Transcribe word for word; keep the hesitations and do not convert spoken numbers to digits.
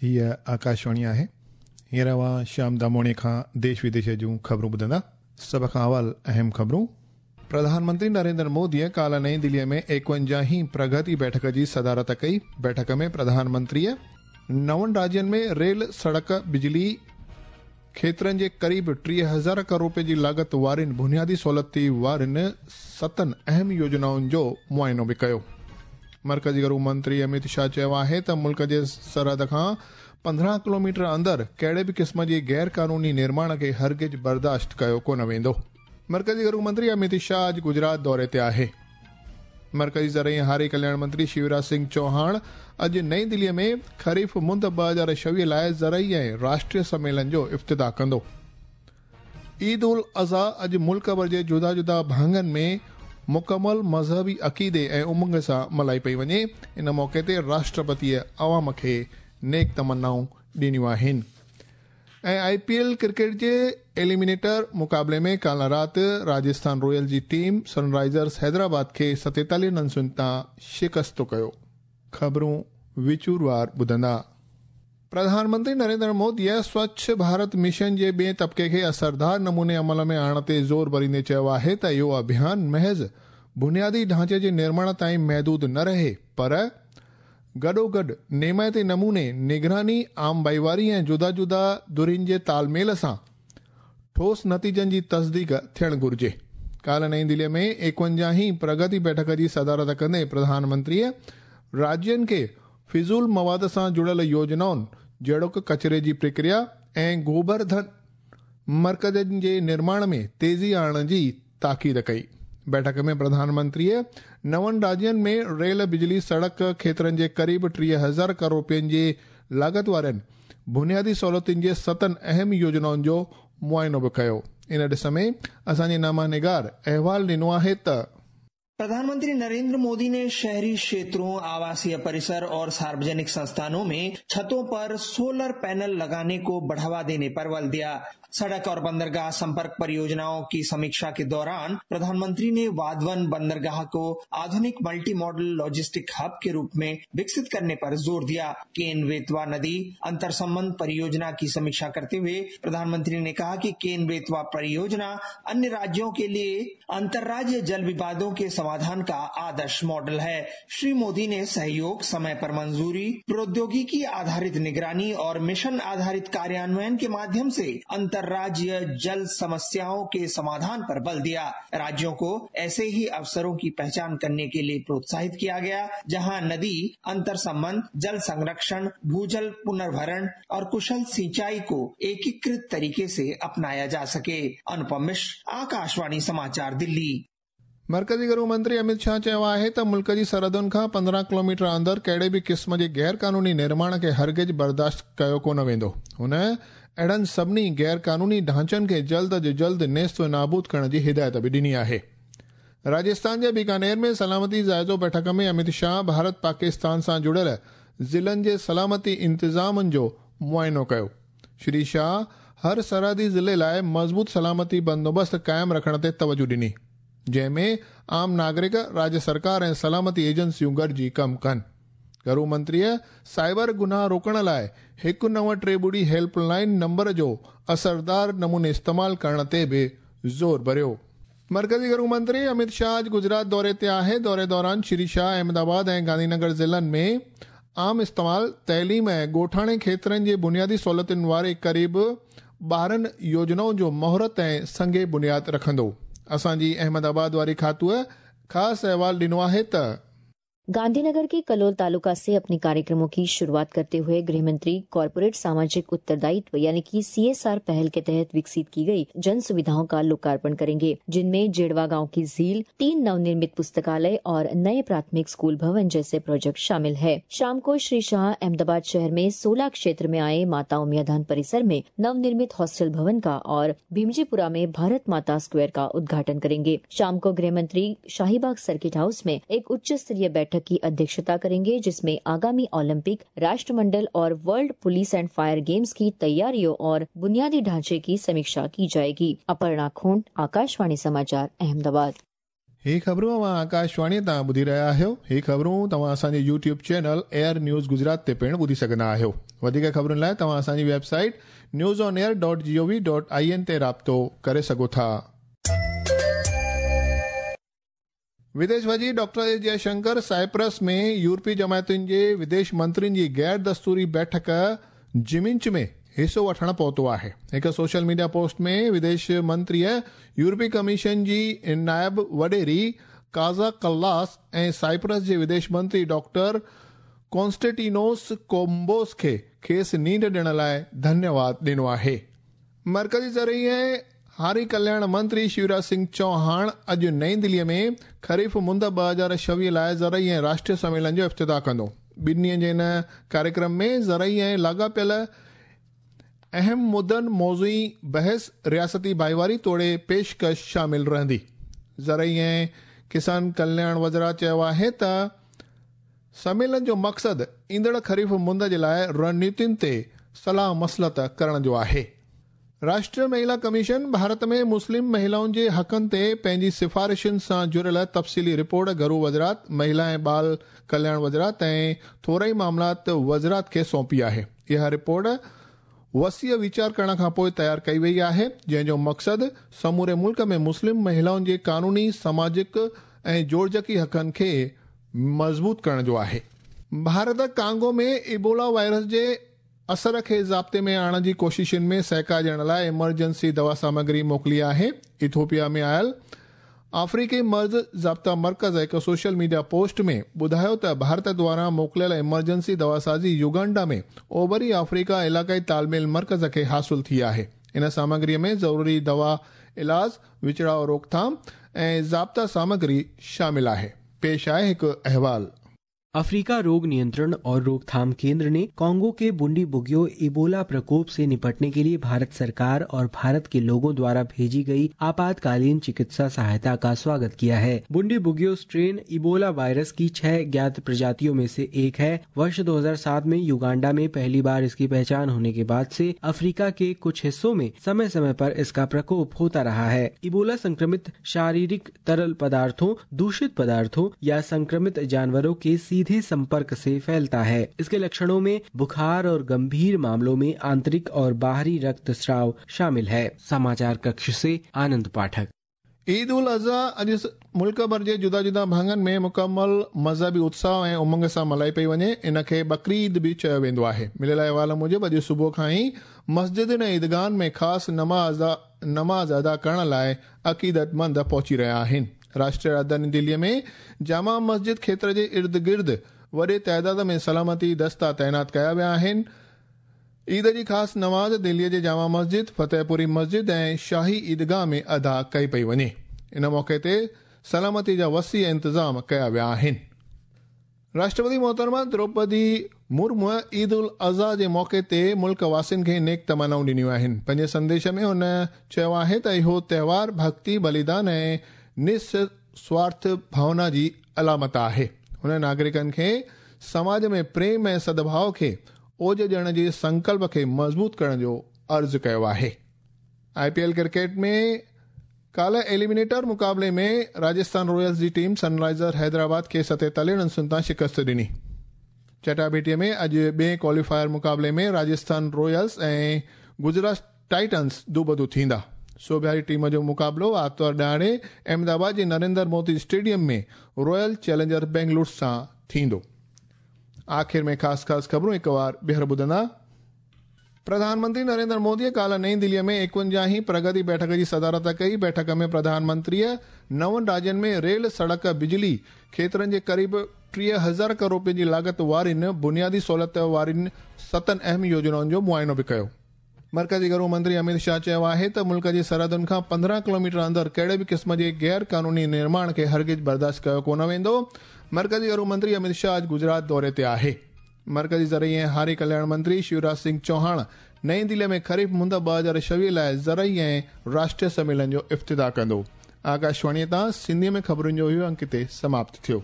हीअ आकाशवाणी आहे। हींअर अव्हां श्याम दामोणी खां देश विदेश जूं ख़बरूं ॿुधंदा। सभ खां अवल अहम ख़बरूं। प्रधानमंत्री नरेंद्र मोदीअ काल्ह नई दिल्लीअ में एकवंजाहीं प्रगति बैठक जी सदारत कई। बैठक में प्रधानमंत्रीअ नवनि राज्यनि में रेल, सड़क, बिजली क्षेत्रनि जे क़रीब टीह हज़ार करोड़ रुपये जी लागत वारियुनि बुनियादी सहूलियती वारियुनि सतनि अहम योजनाउनि जो मुआइनो बि कयो। मर्कज़ी घरू मंत्री अमित शाह चयो आहे त मुल्क जे सरहद खां पंद्रहं किलोमीटर अंदरि कहिड़े बि क़िस्म जे गैर कानूनी निर्माण खे हरगिज़ बर्दाश्त कयो कोन वेंदो। मर्कज़ी घरू मंत्री अमित शाह अॼु गुजरात दौरे ते आहे। मर्कज़ी ज़रई हारी कल्याण मंत्री शिवराज सिंह चौहान अॼु नई दिल्लीअ में खरीफ़ मुंद ॿ हज़ार छवीह लाइ ज़रई ऐं राष्ट्रीय सम्मेलन जो इफ़्तिताह कंदो। ईद उल अज़हा अॼु मुल्क भर जे जुदा जुदा भाङनि में मुकमल मज़हबी अक़ीदे ऐं उमंग सां मल्हाई पई वञे। इन मौक़े ते राष्ट्रपतीअ अवाम खे नेक तमन्नाऊं ॾिनियूं आहिनि। ऐं I P L cricket J eliminator मुक़ाबले में काल्ह राति राजस्थान रॉयल जी टीम सनराइज़र्स हैदराबाद खे सतेतालीह रनसुनि तां शिकस्त कयो। ख़बरूं विचूरवार ॿुधंदा। प्रधानमंत्री नरेंद्र मोदीअ स्वच्छ भारत मिशन जे ॿिए तबिके खे असरदार नमूने अमल में आणण ते ज़ोर भरींदे चयो आहे त इहो अभियान महज़ बुनियादी ढांचे जे निर्माण ताईं महदूद न रहे, पर गॾोगॾु नेमाइते नमूने निगरानी, आम भाईवारी ऐं जुदा जुदा धुरियुनि जे तालमेल सां ठोस नतीजनि जी तस्दीक थियणु घुरिजे। काल्ह नई दिल्लीअ में एकवंजाहीं प्रगति बैठक जी सदारत कंदे प्रधानमंत्रीअ राज्यनि खे फिज़ूल मवाद सां जुड़ियल योजनाउनि जहिड़ोक कचरे जी प्रक्रिया ऐं गोबर धन मर्कज़नि जे निर्माण में तेज़ी आणण जी ताक़ीद कई। बैठक में प्रधानमंत्रीअ नवनि राज्यनि में रेल, बिजली, सड़क क्षेत्रनि जे क़रीब टीह हज़ार करोड़ रुपयनि जे लागत वारनि बुनियादी सहूलियतुनि जे सतनि अहम योजनाउनि जो मुआइनो बि कयो। इन ॾिस में असांजे नामा निगार अहवाल ॾिनो आहे त प्रधानमंत्री नरेंद्र मोदी ने शहरी क्षेत्रों, आवासीय परिसर और सार्वजनिक संस्थानों में छतों पर सोलर पैनल लगाने को बढ़ावा देने पर बल दिया। सड़क और बंदरगाह संपर्क परियोजनाओं की समीक्षा के दौरान प्रधानमंत्री ने वाधवन बंदरगाह को आधुनिक मल्टी मॉडल लॉजिस्टिक हब के रूप में विकसित करने पर जोर दिया। केन बेतवा नदी अंतर संबंध परियोजना की समीक्षा करते हुए प्रधानमंत्री ने कहा कि केन बेतवा परियोजना अन्य राज्यों के लिए अंतर्राज्यीय जल विवादों के समाधान का आदर्श मॉडल है। श्री मोदी ने सहयोग, समय पर मंजूरी, प्रौद्योगिकी आधारित निगरानी और मिशन आधारित कार्यान्वयन के माध्यम से अंतर्राज्यीय जल समस्याओं के समाधान पर बल दिया। राज्यों को ऐसे ही अवसरों की पहचान करने के लिए प्रोत्साहित किया गया जहां नदी अंतर संबंध, जल संरक्षण, भूजल पुनर्भरण और कुशल सिंचाई को एकीकृत तरीके से अपनाया जा सके। अनुपम मिश्र, आकाशवाणी समाचार, दिल्ली। मर्कज़ी घरू मंत्री अमित शाह चयो आहे त मुल्क जी सरहदुनि खां पंद्रहं किलोमीटर अंदरि कहिड़े बि क़िस्म जे गैर कानूनी निर्माण खे हरगिज़ बर्दाश्त कयो कोन वेंदो। हुन अहिड़नि सभिनी गैर कानूनी ढांचनि खे जल्द अज जल्द नेस्त नाबूद करण जी हिदायत बि ॾिनी आहे। राजस्थान जे बीकानेर में सलामती जाइज़ो बैठक में अमित शाह भारत पाकिस्तान सां जुड़ियल ज़िलनि जे सलामती इंतिज़ामनि जो मुआइनो कयो। श्री शाह हर सरहदी ज़िले लाइ मज़बूत सलामती बंदोबस्त क़ाइमु रखण ते तवजु ॾिनी, जंहिंमें आम नागरिक, राज्य सरकार ऐं सलामती एजेंसियूं गॾिजी कमु कनि। घरू मंत्रीअ साइबर गुनाह रोकण लाइ हिकु नव टे ॿुड़ी हेल्पलाइन नंबर जो असरदार नमूने इस्तेमालु करण ते बि ज़ोर भरियो। मर्कज़ी घरू मंत्री अमित शाह अॼु गुजरात दौरे ते आहे। दौरे दौरान श्री शाह अहमदाबाद ऐं गांधीनगर ज़िलनि में आम इस्तेमाल, तइलीम ऐं ॻोठाणे क्षेत्रनि जे बुनियादी सहूलियतुनि वारे क़रीब ॿारहं योजनाउनि जो मुहूर्त ऐं संगे बुनियाद रखंदो। असांजी अहमदाबाद वारी खातूअ ख़ासि अहवाल ॾिनो आहे त गांधीनगर के कलोल तालुका से अपने कार्यक्रमों की शुरुआत करते हुए गृह मंत्री कॉर्पोरेट सामाजिक उत्तरदायित्व यानी कि सीएसआर पहल के तहत विकसित की गई जन सुविधाओं का लोकार्पण करेंगे, जिनमें जेड़वा गांव की झील, तीन नवनिर्मित पुस्तकालय और नए प्राथमिक स्कूल भवन जैसे प्रोजेक्ट शामिल है। शाम को श्री शाह अहमदाबाद शहर में सोलह क्षेत्र में आए माता उमियाधान परिसर में नवनिर्मित हॉस्टल भवन का और भीमजीपुरा में भारत माता स्क्वायर का उद्घाटन करेंगे। शाम को गृह मंत्री शाहीबाग सर्किट हाउस में एक उच्च स्तरीय बैठक की अध्यक्षता करेंगे, जिसमें आगामी ओलंपिक, राष्ट्रमंडल और world police and fire games की तैयारियों और बुनियादी ढांचे की समीक्षा की जाएगी। अपर्णा खोंड, आकाशवाणी समाचार, अहमदाबाद। ही ख़बरूं अव्हां आकाशवाणी तां ॿुधी रहिया आहियो। ही ख़बरूं तव्हां असांजे YouTube channel air news Gujarat ते पिणु ॿुधी सघंदा आहियो। वधीक ख़बरुनि लाइ तव्हां असांजी website news on air dot G O V dot I N ते राब्तो करे सघो था। विदेश वज़ीर डॉक्टर एस जयशंकर साइप्रस में यूरोपीय जमायतुनि जे विदेश मंत्रियुनि जी गैर दस्तूरी बैठक जिमिंच में हिसो वठण पहुतो आहे। हिकु सोशल मीडिया पोस्ट में विदेश मंत्रीअ यूरोपीय कमीशन जी नायब वॾेरी काज़ा कल्लास ऐं साइप्रस जे विदेश मंत्री डॉक्टर कॉन्स्टेंटिनोस कोम्बोस खे खेसि नींड ॾियण लाइ धन्यवाद ॾिनो आहे। मर्कज़ी ज़रई ऐं हारी कल्याण मंत्री शिवराज सिंह चौहान अॼु नई दिल्लीअ में खरीफ़ मुंद ॿ हज़ार छवीह लाइ ज़रई ऐं राष्ट्रीय सम्मेलन जो इफ़्तिताह कंदो। ॿिनि ॾींहनि जे हिन कार्यक्रम में ज़रई ऐं लाॻापियल अहम मुद्दनि, मौज़ूई बहस, रियासती भाईवारी तोड़े पेशकश शामिल रहंदी। ज़रई ऐं किसान कल्याण वज़रात चयो आहे त सम्मेलन जो मक़सदु ईंदड़ खरीफ़ मुंद जे लाइ रणनीतियुनि ते सलाह मसलत करण जो आहे। राष्ट्रीय महिला कमीशन भारत में मुस्लिम महिलाउनि जे हक़नि ते पंहिंजी सिफारिशुनि सां जुड़ियल तफ़सीली रिपोर्ट घरू वज़रात, महिला ऐं बाल कल्याण वज़रात ऐं थोरई मामलात वज़रात खे सौंपी आहे। इहा रिपोर्ट वसीअ वीचार करण खां पोइ तयारु कई वई आहे, जंहिंजो मक़सदु समूरे मुल्क में मुस्लिम महिलाउनि जे कानूनी, सामाजिक ऐं जोड़जकी हक़नि खे मज़बूत करण जो आहे। भारत कांगो में इबोला वायरस जे असर खे ज़ाब्ते में आणण जी कोशिशुनि में सहकार ॾियण लाइ इमरजेंसी दवा सामग्री मोकिली आहे। इथोपिया में आयल अफ्रीकी मर्ज़ ज़ाब्ता मर्कज़ हिकु सोशल मीडिया पोस्ट में ॿुधायो त भारत द्वारा मोकिलियल इमरजेंसी दवासाज़ी युगांडा में ओभरी अफ्रीका इलाक़ाई तालमेल मर्कज़ खे हासिल थी आहे। इन सामग्रीअ में ज़रूरी दवा, इलाज, विचड़ाव रोकथाम ऐं ज़ाब्ता सामग्री शामिल आहे। पेश आहे हिकु अहवाल। अफ्रीका रोग नियंत्रण और रोकथाम केंद्र ने कांगो के बुंडीबुग्यो इबोला प्रकोप से निपटने के लिए भारत सरकार और भारत के लोगों द्वारा भेजी गई आपातकालीन चिकित्सा सहायता का स्वागत किया है। बुंडीबुग्यो स्ट्रेन इबोला वायरस की छह ज्ञात प्रजातियों में से एक है। वर्ष दो हज़ार सात में युगांडा में पहली बार इसकी पहचान होने के बाद से अफ्रीका के कुछ हिस्सों में समय समय पर इसका प्रकोप होता रहा है। इबोला संक्रमित शारीरिक तरल पदार्थों, दूषित पदार्थों या संक्रमित जानवरों के सीधे संपर्क से फैलता है। इसके लक्षणों में बुखार और गंभीर मामलों में आंतरिक और बाहरी रक्तस्राव शामिल है। समाचार कक्ष से आनंद पाठक। ईद उल अज़हा अॼु मुल्क भर जे जुदा जुदा भाङनि में मुकमल मज़हबी उत्साह ऐं उमंग सां मल्हाई पई वञे। इन खे बकरी ईद बि चयो वेंदो आहे। मिलियल अहवाल मूजिबि अॼु सुबुह खां ई मस्जिदुनि ऐं ईदगाहनि में ख़ासि नमाज़ नमाज़ अदा करण लाइ अक़ीदतमंद पहुची रहिया आहिनि। राष्ट्रीय राजधानी दिल्लीअ में जामा मस्जिद क्षेत्र जे इर्द गिर्द वॾे तादाद में सलामती दस्ता तैनात कया विया आहिनि। ईद जी ख़ासि नमाज़ दिल्लीअ जे जामा मस्जिद, फतेहपुरी मस्जिद ऐं शाही ईदगाह में अदा कई पई वञे। इन मौक़े ते सलामती जा वसी इंतज़ाम कया विया आहिनि। राष्ट्रपति मोहतरमा द्रौपदी मुर्मू ईद उल अज़हा जे मौक़े ते मुल्क वासियुनि खे नेक तमन्नाऊं ॾिनियूं आहिनि। पंहिंजे संदेश में हुन चयो आहे त इहो त्योहार भक्ति, बलिदान ऐं निस्वार्थ भावना जी अलामत आहे। हुन नागरिकनि खे समाज में प्रेम ऐं सद्भाव खे ओज ॾियण जे संकल्प खे मज़बूत करण जो अर्ज़ु कयो आहे। I P L cricket में काल्ह एलिमिनेटर मुक़ाबले में राजस्थान रॉयल्स जी टीम सनराइज़र हैदराबाद खे सतेतालीह रन्सुनि तां शिकस्त ॾिनी। चटाभेटीअ में अॼु ॿिए क्वालीफायर मुक़ाबले में राजस्थान रॉयल्स ऐं गुजरात टाइटन्स दूबदू थींदा। सोबियारी टीम जो मुक़ाबिलो आतिवार ॾिहाड़े अहमदाबाद जे नरेंद्र मोदी स्टेडियम में रॉयल चैलेंजर बेंगलुरु सां थींदो। आख़िर में ख़ासि ख़ासि ख़बरूं हिकु वार ॿीहर ॿुधंदा। प्रधानमंत्री नरेंद्र मोदीअ काल्ह नई दिल्लीअ में एकवंजाहीं प्रगति बैठक जी सदारत कई। बैठक में प्रधानमंत्रीअ नवनि राज्यनि में रेल, सड़क, बिजली क्षेत्रनि जे क़रीब टीह हज़ार करोड़ रुपयनि जी लागत वारियुनि बुनियादी सहूलियत वारियुनि सतनि अहम योजनाउनि जो मुआइनो बि कयो। मर्कज़ी घरू मंत्री अमित शाह चयो आहे त मुल्क जी सरहदुनि खां पंद्रहं किलोमीटर अंदरि कहिड़े बि क़िस्म जे गैर कानूनी निर्माण खे हरगिज़ बर्दाश्त कयो कोन वेंदो। मर्कज़ी घरू मंत्री अमित शाह अॼु गुजरात दौरे ते आहे। मर्कज़ी ज़रई ऐं हारी कल्याण मंत्री शिवराज सिंह चौहान नई दिल्लीअ में खरीफ़ मुंद ॿ हज़ार छवीह लाइ ज़रई ऐं राष्ट्रीय सम्मेलन जो इफ़्तिताह कंदो। आकाशवाणीअ तां सिंधीअ में ख़बरुनि जो इहो अंक हिते समाप्त थियो।